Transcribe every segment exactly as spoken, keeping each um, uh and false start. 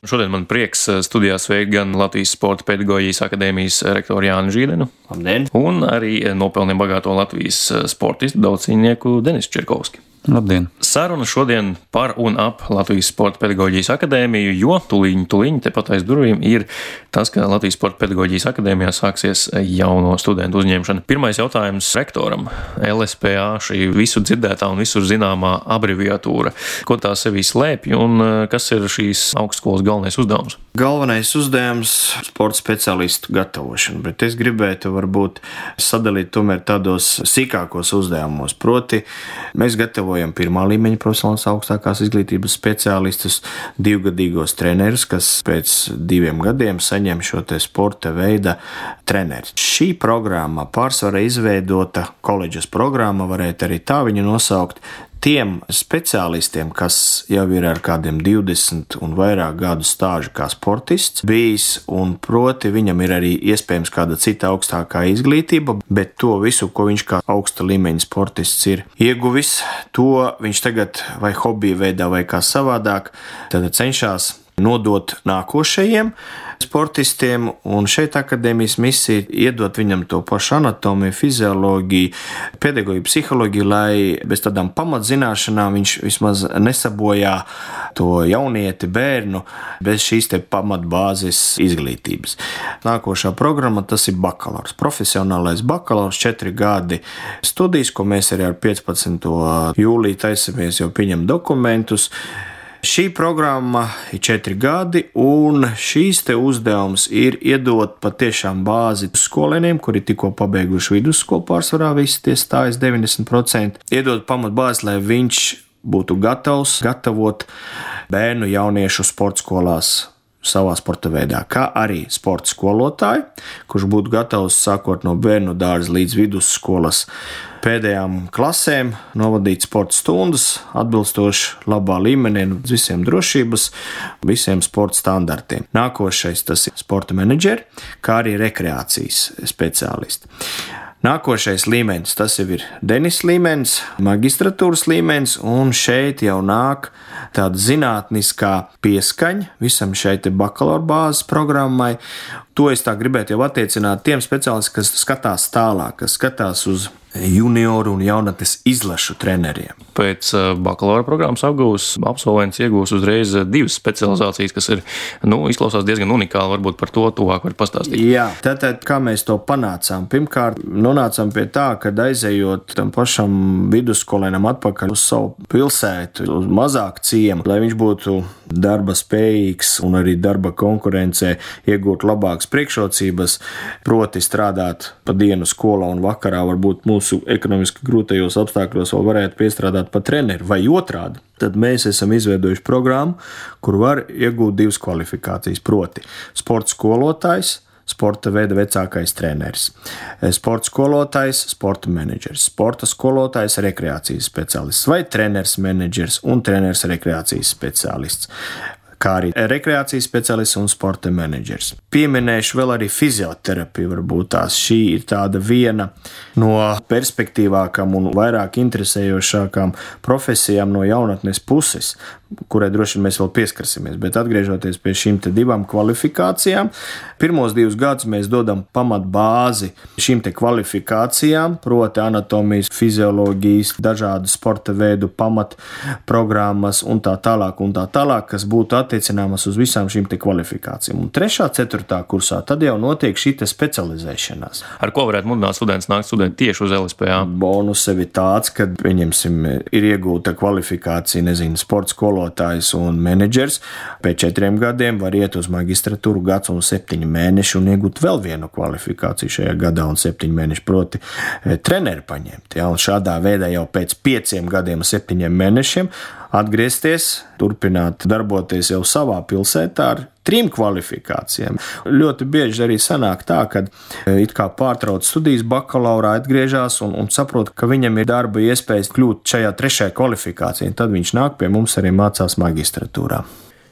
Šodien man prieks studijā sveikt gan Latvijas Sporta pedagoģijas akadēmijas rektoru Jāni Žīdenu. Labdien! Un arī nopelniem bagāto Latvijas sportistu daudzcīņnieku Denisu Čirkovski. Labdien! Saruna šodien par un ap Latvijas Sporta pedagoģijas akadēmiju, jo tuliņi, tuliņi tepat aiz durvīm ir tas, ka Latvijas Sporta pedagoģijas akadēmijā sāksies jauno studentu uzņemšana. Pirmais jautājums rektoram. L S P A, šī visu dzirdētā un visur zināmā abreviatūra. Ko tā sevī slēpj un kas ir šīs augstskolas galvenais uzdevums? Galvenais uzdevums - sporta speciālistu gatavošana, bet es gribētu varbūt sadalīt tomēr tādos sīkākos uzdevumos. Proti, mēs gatavojam pirmā līmeņa profesionālās augstākās izglītības speciālistus, divgadīgos trenerus, kas pēc diviem gadiem saņem šo te sporta veida treneri. Šī programma pārsvarā izveidota, koledžas programma, varētu arī tā viņu nosaukt, tiem speciālistiem, kas jau ir ar kādiem divdesmit un vairāk gadu stāžu kā sportists bijis, un proti viņam ir arī iespējams kāda cita augstākā izglītība, bet to visu, ko viņš kā augsta līmeņa sportists ir ieguvis, to viņš tagad vai hobija veidā vai kā savādāk, tad cenšas nodot nākošajiem sportistiem, un šeit akadēmijas misija iedot viņam to pašu anatomiju, fizioloģiju, pedagoģiju, psiholoģiju, lai bez tādām pamatzināšanām viņš vismaz nesabojā to jaunieti, bērnu, bez šīs te pamatbāzes izglītības. Nākošā programma tas ir bakalaurs, profesionālais bakalaurs, četri gadi studijas, ko mēs arī ar piecpadsmito jūliju taisamies jau pieņem dokumentus. Šī programma ir četri gadi, un šīs te uzdevums ir iedot patiešām bāzi skolēniem, kuri tikko pabeiguši vidusskolu, pārsvarā visi tie stājas deviņdesmit procenti, iedot pamatbāzi, lai viņš būtu gatavs gatavot bērnu jauniešu sporta skolās savā sporta veidā, kā arī sporta skolotāju, kurš būtu gatavs sākot no bērnu dārza līdz vidusskolas pēdējām klasēm novadīt sporta stundas atbilstoši labā līmenī un visiem drošības, visiem sporta standartiem. Nākošais tas ir sporta menedžeri, kā arī rekreācijas speciālisti. Nākošais līmenis, tas jau ir Denis līmenis, magistratūras līmenis, un šeit jau nāk tāda zinātniskā pieskaņa visam šai te bakalaura bāzes programmai. To es tā gribētu jau attiecināt tiem speciālistiem, kas skatās tālāk, kas skatās uz junioru un jaunatnes izlašu treneriem. Pēc bakalaura programmas apgūs absolvents iegūs uzreiz divas specializācijas, kas ir, nu, izklausās diezgan unikāli, varbūt par to tuvāk var pastāstīt. Jā, tātad, kā mēs to panācām? Pirmkārt, nonācām pie tā, ka aizejot tam pašam vidusskolēnam atpakaļ uz savu pilsētu, uz mazāku ciemu, lai viņš būtu darba spējīgs un arī darba konkurencē iegūt labākas priekšrocības, proti strādāt pa dienu skolā un vakarā varbūt mūsu ekonomiski grūtajos apstākļos vēl varētu piestrādāt pa treneri vai otrādi. Tad mēs esam izveidojuši programmu, kur var iegūt divas kvalifikācijas, proti sporta skolotājs, sporta veida vecākais treneris, sporta skolotājs, sporta menedžers, sporta skolotājs, rekreācijas speciālists vai treneris menedžers un treneris rekreācijas speciālists, kā arī rekreācijas speciālists un sporta menedžers. Pieminēšu vēl arī fizioterapiju, varbūt tās šī ir tāda viena no perspektīvākām un vairāk interesējošākām profesijām no jaunatnes puses, kurai droši vien mēs vēl pieskarsimies, bet atgriežoties pie šīm te divām kvalifikācijām, pirmos divus gadus mēs dodam pamat bāzi šīm te kvalifikācijām, proti anatomijas, fizioloģijas, dažādu sporta veidu pamat programmas un tā tālāk un tā tālāk, kas būtu attiecināmas uz visām šīm te kvalifikācijām. Un trešā, ceturtā kursā tad jau notiek šī te specializēšanās. Ar ko varētu mudināt students nākt studenti tieši uz L S P A? Bonus sevi tāds, ka, pieņemsim, ir iegūta kvalifikācija, nezinu, sporta skolotājs un menedžers. Pēc četriem gadiem var iet uz magistratūru gads un septiņi mēneši un iegūt vēl vienu kvalifikāciju šajā gadā un septiņi mēneši, proti treneri paņemt. Ja? Un šādā veidā jau pēc pieciem gadiem un septiņiem mēnešiem atgriezties, turpināt darboties jau savā pilsētā ar trim kvalifikācijām. Ļoti bieži arī sanāk tā, ka it kā pārtrauc studijas bakalaurā, atgriežas un, un saprot, ka viņam ir darba iespējas kļūt šajā trešajā kvalifikācijā. Tad viņš nāk pie mums arī mācās magistratūrā.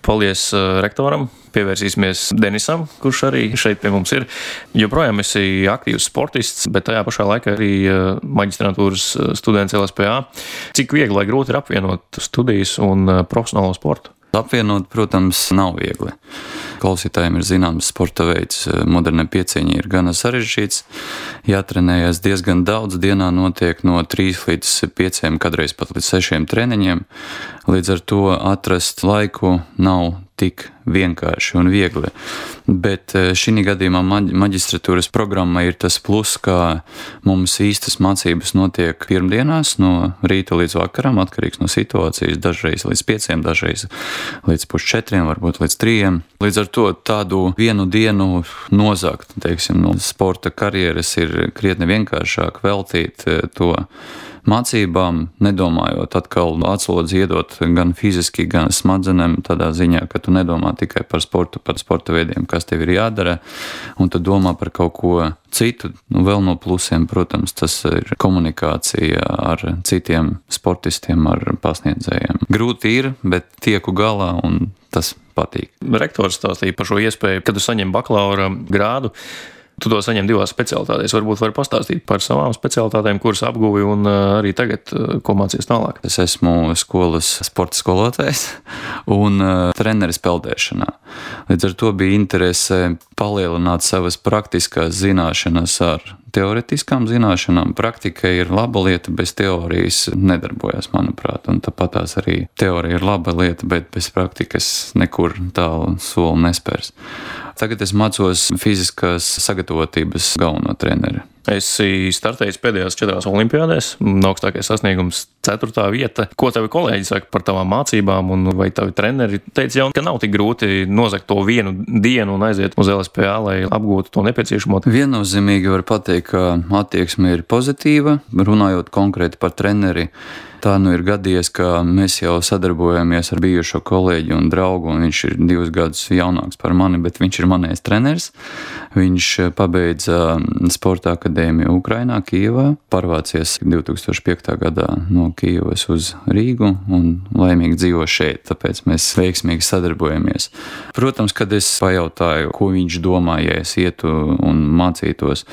Paldies rektoram, pievērsīsimies Denisam, kurš arī šeit pie mums ir. Joprojām esi aktīvs sportists, bet tajā pašā laikā arī maģistrantūras students L S P A. Cik viegli vai grūti ir apvienot studijas un profesionālo sportu? Apvienot, protams, nav viegli. Klausītājiem ir zināms sporta veids, modernai piecīņai ir gana sarežģīts. Jātrenējas diezgan daudz, dienā notiek no trīs līdz pieciem, kadreiz pat līdz sešiem treniņiem. Līdz ar to atrast laiku nav tik vienkārši un viegli. Bet šī gadījumā maģistratūras programma ir tas plus, ka mums īstas mācības notiek pirmdienās no rīta līdz vakaram, atkarīgs no situācijas, dažreiz līdz pieciem, dažreiz līdz pusčetriem, varbūt līdz trījiem. Līdz ar to tādu vienu dienu nozagt, teiksim, no sporta karjeras ir krietni vienkāršāk veltīt to mācībām, nedomājot atkal atslodzi iedot gan fiziski, gan smadzenēm, tādā ziņā, ka tu nedomā tikai par sportu, par sporta veidiem, kas tev ir jādara, un tu domā par kaut ko citu. Nu, vēl no plusiem, protams, tas ir komunikācija ar citiem sportistiem, ar pasniedzējiem. Grūti ir, bet tieku galā un tas patīk. Rektors stāstīja par šo iespēju, kad tu saņem bakalaura grādu. Tu to saņem divās specialitātēs. Varbūt vari pastāstīt par savām specialitātēm, kuras apguvi un arī tagad, ko mācies tālāk. Es esmu skolas sporta skolotājs un treneris peldēšanā. Līdz ar to bija interese palielināt savas praktiskās zināšanas ar teoretiskām zināšanām. Praktika ir laba lieta, bez teorijas nedarbojas, manuprāt. Un tāpat tās arī teorija ir laba lieta, bet bez praktikas nekur tālu soli nespērs. Tagad es mācos fiziskās sagatavotības galveno treneri. Esi startējis pēdējās četrās olimpiādēs, augstākais sasniegums ceturtā vieta. Ko tavi kolēģi saka par tavām mācībām, un vai tavi treneri teica jau, ka nav tik grūti nozagt to vienu dienu un aiziet uz L S P A, lai apgūtu to nepieciešamo? Viennozīmīgi var pateikt, ka attieksme ir pozitīva, runājot konkrēti par treneri. Tā nu ir gadījies, ka mēs jau sadarbojamies ar bijušo kolēģi un draugu, un viņš ir divus gadus jaunāks par mani, bet viņš ir manējs treneris. Viņš pabeidza sporta akadēmiju Ukrainā, Kijevā, pārvācies divi tūkstoši piektajā gadā no Kijevas uz Rīgu un laimīgi dzīvo šeit, tāpēc mēs veiksmīgi sadarbojamies. Protams, kad es pajautāju, ko viņš domā, ja es ietu un mācītos,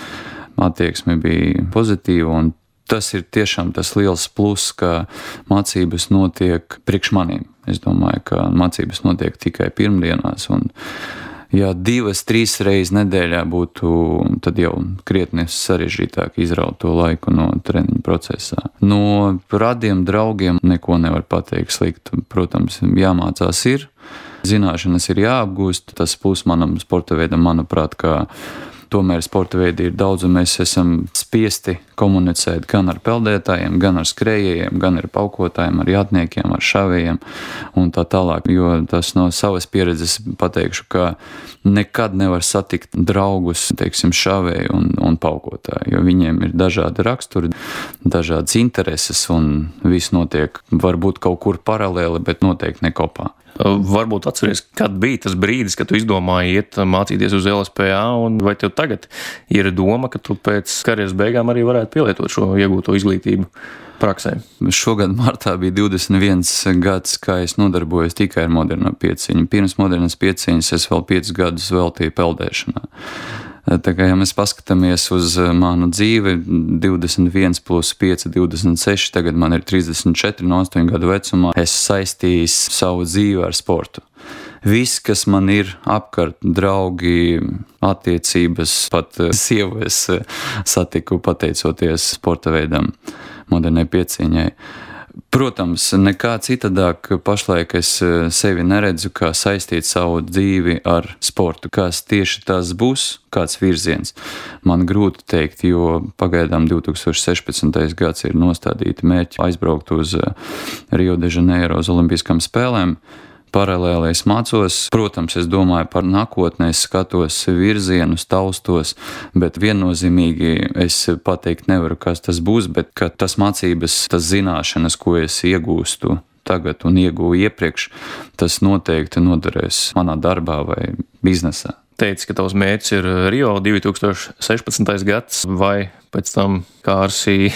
attieksme bija pozitīva, un tas ir tiešām tas liels plus, ka mācības notiek priekš maniem. Es domāju, ka mācības notiek tikai pirmdienās, un ja divas, trīs reizes nedēļā būtu, tad jau krietni sarežģītāk izraut to laiku no treniņu procesā. No radiem draugiem neko nevar pateikt sliktu. Protams, jāmācās ir, zināšanas ir jāapgūst. Tas plus manam sporta veidam, manuprāt, ka tomēr sporta veidi ir daudz, un mēs esam spiesti komunicēt gan ar peldētājiem, gan ar skrējējiem, gan ar paukotājiem, ar jātniekiem, ar šavējiem un tā tālāk. Jo tas no savas pieredzes pateikšu, ka nekad nevar satikt draugus, teiksim, šavēju un, un paukotāju, jo viņiem ir dažādi raksturi, dažādas intereses, un viss notiek varbūt kaut kur paralēli, bet noteikti ne kopā. Varbūt atceries, kad bija tas brīdis, kad tu izdomāji iet mācīties uz L S P A, un vai tev tagad ir doma, ka tu pēc karjeras beigām arī varētu pielietot šo iegūto izglītību praksē? Šogad martā bija divdesmit viens gads, kā es nodarbojos tikai ar moderno pieciņu. Pirms modernas pieciņas es vēl piecus gadus veltīju peldēšanā. Tā kā, ja mēs paskatāmies uz manu dzīvi, divdesmit viens plus pieci, divdesmit seši, tagad man ir trīsdesmit četri no astoņu gadu vecumā, es saistījis savu dzīvi ar sportu. Viss, kas man ir apkārt, draugi, attiecības, pat sievu es satiku pateicoties sporta veidam, modernai pieciņai. Protams, nekā citādāk pašlaik es sevi neredzu, kā saistīt savu dzīvi ar sportu. Kas tieši tas būs, kāds virziens, man grūti teikt, jo pagaidām divi tūkstoši sešpadsmitais gads ir nostādīti mērķi aizbraukt uz Rio de Janeiro uz Olimpiskām spēlēm. Paralēli es mācos, protams, es domāju par nākotnē, es skatos virzienus, taustos, bet viennozīmīgi es pateikt nevaru, kas tas būs, bet ka tas mācības, tas zināšanas, ko es iegūstu tagad un iegūju iepriekš, tas noteikti noderēs manā darbā vai biznesā. Teici, ka tavs mērķis ir Rio divtūkstoši sešpadsmitais gads, vai pēc tam Kārsi,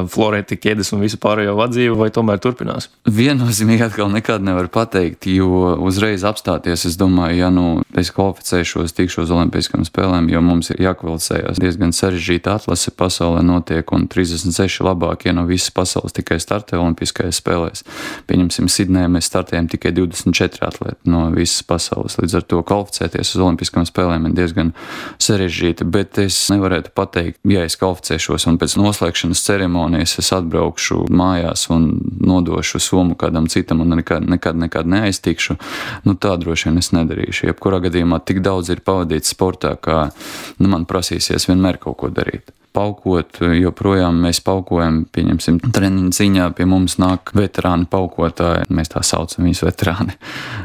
Floreti, Ķedes un visu pārējo vadzību, vai tomēr turpinās? Viennozīmīgi atkal nekad nevar pateikt, jo uzreiz apstāties, es domāju, ja nu es kvalificēšos, tikšos olimpiskām spēlēm, jo mums ir jākvalificējas diezgan sarežģīta atlase pasaulē notiek, un trīsdesmit seši labākie no visas pasaules tikai startē olimpiskajās spēlēs. Pieņemsim, Sidnejā mēs startējam tikai divdesmit četri atlēti no visas pasaules, līdz ar to kvalificēties uz olimpiskām spēlēm ir diezgan sarežģīti, bet es nevarētu pateikt, ja es kvalificēšos un pēc noslēgšanas ceremonijas es atbraukšu mājās un nodošu somu kādam citam un nekad, nekad, nekad neaiztikšu, nu tā droši vien es nedarīšu. Jebkurā gadījumā tik daudz ir pavadīts sportā, kā nu, man prasīsies vienmēr kaut ko darīt. Paukot, joprojām mēs paukojam, pieņemsim, treniņu ziņā pie mums nāk veterāni paukotāji, mēs tā saucam viņus veterāni,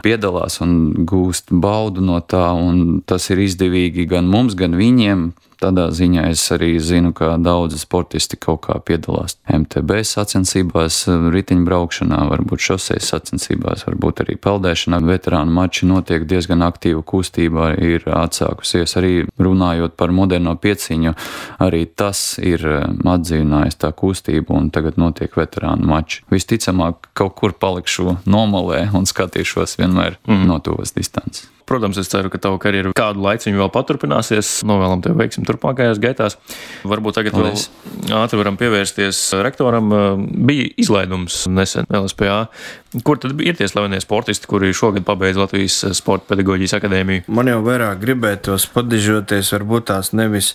piedalās un gūst baudu no tā, un tas ir izdevīgi gan mums, gan viņiem. Tādā ziņā es arī zinu, ka daudzi sportisti kaut kā piedalās M T B sacensībās, riteņbraukšanā, varbūt šoseis sacensībās, varbūt arī peldēšanā. Veterānu mači notiek diezgan aktīva kustība, ir atsākusies arī runājot par moderno pieciņu. Arī tas ir atdzīvinājis tā kustību un tagad notiek veterānu mači. Visticamāk, kaut kur palikšu nomalē un skatīšos vienmēr mm. no tuvas distances. Protams, es ceru, ka tava karjera kādu laiciņu vēl paturpināsies. Novēlam tev veiksmi turpmākajās gaitās. Varbūt tagad Paldies. Vēl ātri varam pievērsties rektoram. Bija izlaidums nesen L S P A. Kur tad ir tie slavenie sportisti, kuri šogad pabeidz Latvijas Sporta pedagoģijas akadēmiju? Man jau vairāk gribētos padižoties, varbūt tās nevis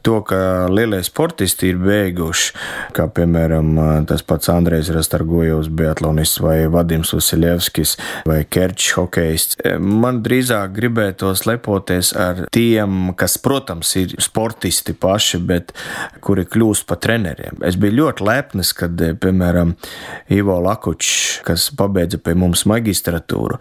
to, ka lielie sportisti ir beiguši, kā piemēram tas pats Andrejs Rastargojevs, biatlonists, vai Vadims Vasiljevskis, vai Kerčs hokejists. Man drīzāk gribētos lepoties ar tiem, kas, protams, ir sportisti paši, bet kuri kļūst par treneriem. Es biju ļoti lepnis, kad, piemēram, Ivo Lakučs, kas pabeidza pie mums magistratūru,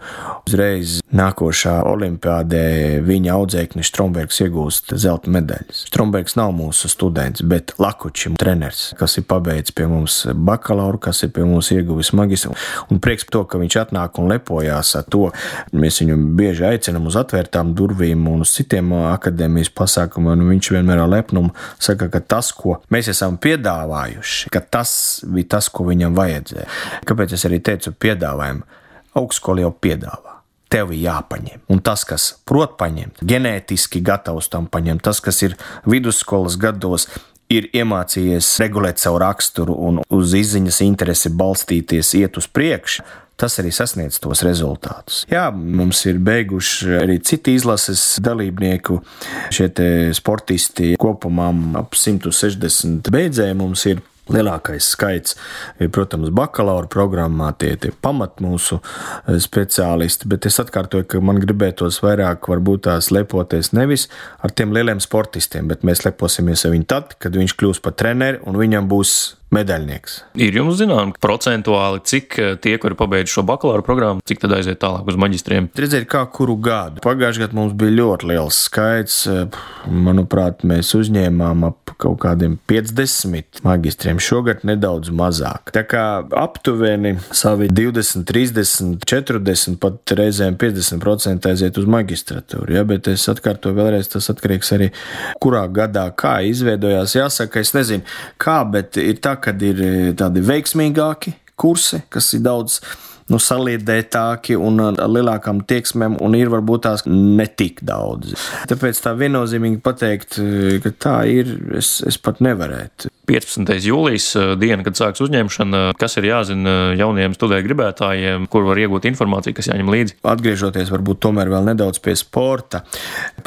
uzreiz nākošā olimpiādē viņa audzēknis Strombergs iegūst zelta medaļas. Strombergs nav mūsu students, bet Lakučs treneris, kas ir pabeidz pie mums bakalauru, kas ir pie mums ieguvis magistru. Un prieks to, ka viņš atnāk un lepojās ar to. Mēs viņu bieži aicinam uz atvērtām durvīm un uz citiem akadēmijas pasākumiem, un viņš vienmēr ar lepnumu saka, ka tas, ko mēs esam piedāvājuši, ka tas bija tas, ko viņam vajadzēja. Kāpēc es arī teicu piedāvājumu? Augstskola jau piedāvā. Tev ir jāpaņem. Un tas, kas prot paņemt, ģenētiski gatavs tam paņemt, tas, kas ir vidusskolas gados, ir iemācījies regulēt savu raksturu un uz izziņas interesi balstīties, iet uz priekšu, tas arī sasniedz tos rezultātus. Jā, mums ir beiguši arī citi izlases dalībnieku, šie te sportisti kopumā ap simt sešdesmit beidzēji mums ir. Lielākais skaits ir, protams, bakalaura programmā, tie ir pamat mūsu speciālisti, bet es atkārtoju, ka man gribētos vairāk varbūt tās lepoties nevis ar tiem lieliem sportistiem, bet mēs leposimies ar viņu tad, kad viņš kļūs par treneri un viņam būs medaļnieks. Ir jums zinām procentuāli, cik tie, kuri pabeidz šo bakalaura programmu, cik tad aiziet tālāk uz maģistriem? Redzēt, kā kuru gadu. Pagājušajā gadā mums bija ļoti liels skaits. Manuprāt, mēs uzņēmām ap kaut kādiem piecdesmit magistriem. Šogad nedaudz mazāk. Tā kā aptuveni savi divdesmit, trīsdesmit, četrdesmit, pat reizēm piecdesmit procenti aiziet uz magistratūru. Ja? Bet es atkārtoju vēlreiz, tas atkarīgs arī kurā gadā, kā izveidojās. Jāsaka, es nezinu, kā, bet ir tā, kad ir tādi veiksmīgāki kursi, kas ir daudz nu, saliedētāki un ar lielākām tieksmēm, un ir varbūt tās netik daudz. Tāpēc tā viennozīmīgi pateikt, ka tā ir, es, es pat nevarētu. piecpadsmitais jūlijas diena, kad sāks uzņemšana, kas ir jāzina jauniem studēt gribētājiem, kur var iegūt informāciju, kas jāņem līdzi? Atgriežoties varbūt tomēr vēl nedaudz pie sporta.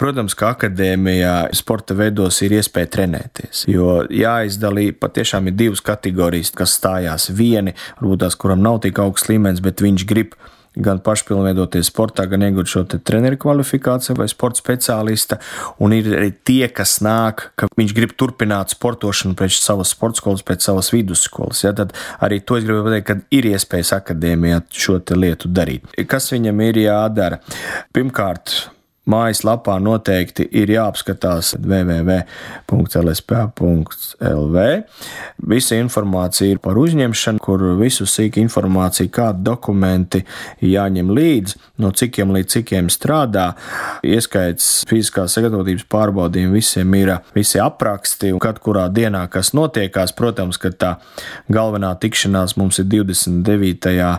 Protams, ka akadēmijā sporta veidos ir iespēja trenēties, jo jāizdalī patiešām ir divas kategorijas, kas stājās vieni, varbūt tās, kuram nav tik augsts līmenis, bet viņš grib gan pašpilnveidoties sportā, gan iegūt šo te treneru kvalifikāciju vai sporta speciālista, un ir arī tie, kas nāk, ka viņš grib turpināt sportošanu pēc savas sporta skolas, pēc savas vidusskolas. Ja, tad arī to es gribu pateikt, ka ir iespējas akadēmijā šo te lietu darīt. Kas viņam ir jādara? Pirmkārt, mājaslapā noteikti ir jāapskatās w w w punkts l s p punkts l v. Visa informācija ir par uzņemšanu, kur visu sīk informāciju, kādi dokumenti jāņem līdzi, no cikiem līdz cikiem strādā. Ieskaits fiziskās sagatavotības pārbaudījumi visiem ir visi apraksti, un kad kurā dienā, kas notiekās. Protams, ka tā galvenā tikšanās mums ir divdesmit devītajā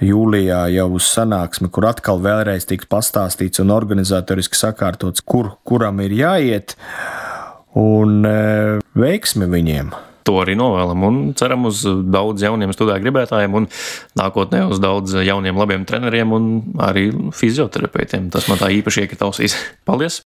jūlijā jau uz sanāksmi, kur atkal vēlreiz tiks pastāstīts un organizatoriski sakārtots, kur, kuram ir jāiet, un e, veiksmi viņiem. To arī novēlam un ceram uz daudz jauniem studēt gribētājiem un nākotnē uz daudz jauniem labiem treneriem un arī fizioterapeitiem. Tas man tā īpaši iekrita ausīs. Paldies!